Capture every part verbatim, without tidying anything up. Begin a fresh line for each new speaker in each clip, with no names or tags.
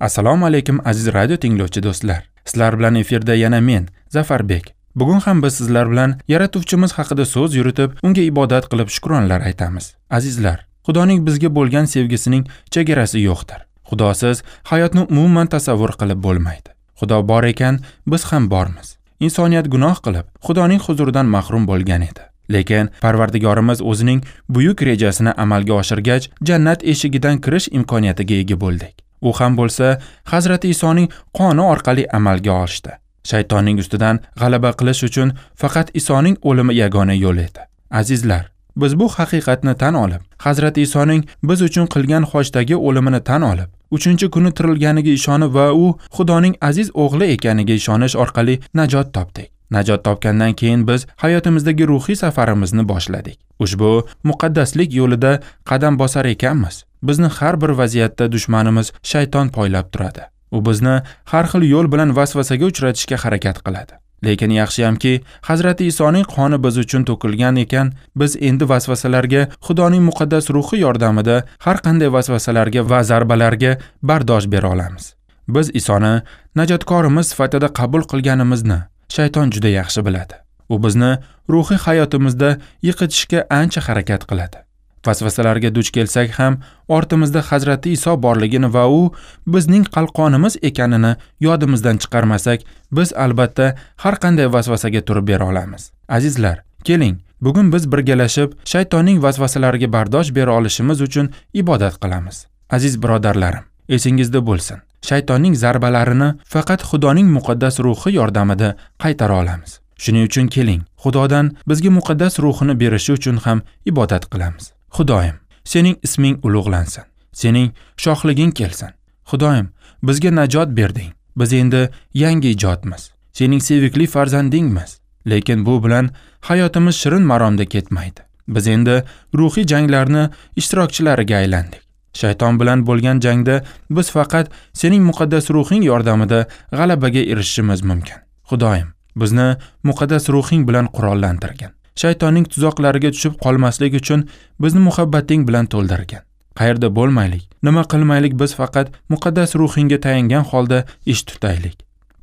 Assalomu alaykum aziz radio tinglovchi do'stlar. Sizlar bilan efirda yana men, Zafarbek. Bugun ham biz sizlar bilan yaratuvchimiz haqida so'z yuritib, unga ibodat qilib shukronlar aytamiz. Azizlar, Xudoning bizga bo'lgan sevgisining chegarasi yo'qdir. Xudosiz hayotni umuman tasavvur qilib bo'lmaydi. Xudo bor ekan, biz ham bormiz. Insoniyat gunoh qilib, Xudoning huzuridan mahrum bo'lgan edi. Lekin Parvardigorimiz o'zining buyuk rejasini amalga oshirgach, jannat eshigidan kirish imkoniyatiga ega bo'ldik. U ham bo'lsa, Hazrati Isoning qoni orqali amalga oshdi. Shaytonning ustidan g'alaba qilish uchun faqat Isoning o'limi yagona yo'l edi. Azizlar, biz bu haqiqatni tan olib, Hazrati Isoning biz uchun qilgan xochdagi o'limini tan olib, uchinchi kuni tirilganiga ishonib va u Xudoning aziz o'g'li ekaniga ishonish orqali najot topdik. Najot topgandan keyin biz hayotimizdagi ruhiy safarimizni boshladik. Ushbu muqaddaslik yo'lida qadam bosar ekanmiz, bizni har bir vaziyatda dushmanimiz shayton poylab turadi. U bizni har xil yo'l bilan vasvasaga uchratishga harakat qiladi. Lekin yaxshiyamki, Hazrati Isoning qoni biz uchun to'kilgan ekan, biz endi vasvasalarga Xudoning muqaddas ruhi yordamida har qanday vasvasalarga va zarbalarga bardosh bera olamiz. Biz Isoni najotkorimiz sifatida qabul qilganimizni shayton juda yaxshi biladi. U bizni ruhiy hayotimizda yiqitishga ancha harakat qiladi. Vasvasalarga duch kelsak ham ortimizda Hazrati Iso borligini va u bizning qalqonimiz ekanini yodimizdan chiqarmasak, biz albatta har qanday vasvasaga turib bera olamiz. Azizlar, keling, bugun biz birgalashib shaytonning vasvasalariga bardosh bera olishimiz uchun ibodat qilamiz. Aziz birodarlarim, esingizda bo'lsin, shaytonning zarbalarini faqat Xudoning muqaddas ruhi yordamida qaytara olamiz. Shuning uchun keling, Xudodan bizga muqaddas ruhini berishi uchun ham ibodat qilamiz. Xudoyim, sening isming ulug'lansin. Sening shohliging kelsin. Xudoyim, bizga najot berding. Biz endi yangi ijodmiz. Sening sevikli farzandingmiz. Lekin bu bilan hayotimiz shirin maromda ketmaydi. Biz endi ruhiy janglarni ishtirokchilariga aylandik. Shayton bilan bo'lgan jangda biz faqat sening muqaddas ruhing yordamida g'alabaga erishishimiz mumkin. Xudoyim, bizni muqaddas ruhing bilan qurollantirgin. Shaytonning tuzoqlariga tushib qolmaslik uchun bizni muhabbating bilan to'ldirgin. Qayerda bo'lmaylik, nima qilmaylik, biz faqat muqaddas ruhingga tayangan holda ish tutaylik.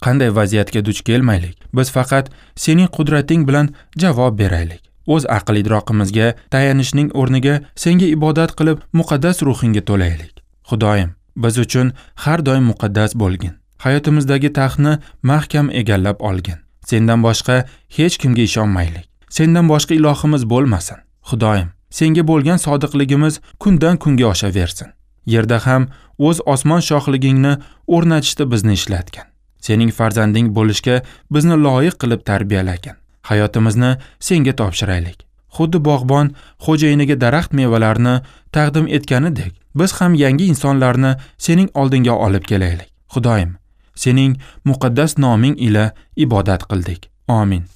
Qanday vaziyatga duch kelmaylik, biz faqat sening qudrating bilan javob beraylik. O'z aql idroqimizga tayanishning o'rniga senga ibodat qilib muqaddas ruhingga to'laylik. Xudoyim, biz uchun har doim muqaddas bo'lgin. Hayotimizdagi taxtni mahkam egallab olgin. Sendan boshqa hech kimga ishonmaylik. Sendan boshqa ilohimiz bo'lmasin. Xudoyim, senga bo'lgan sodiqligimiz kundan kunga oshaversin. Yerda ham o'z osmon shohligingni o'rnatishda bizni ishlatgan. Sening farzanding bo'lishga bizni loyiq qilib tarbiyalagan. Hayotimizni senga topshiraylik. Xuddi bog'bon xo'jayiniga daraxt mevalarini taqdim etganidek, biz ham yangi insonlarni sening oldinga olib kelaylik. Xudoyim, sening muqaddas noming ila ibodat qildik. Amin.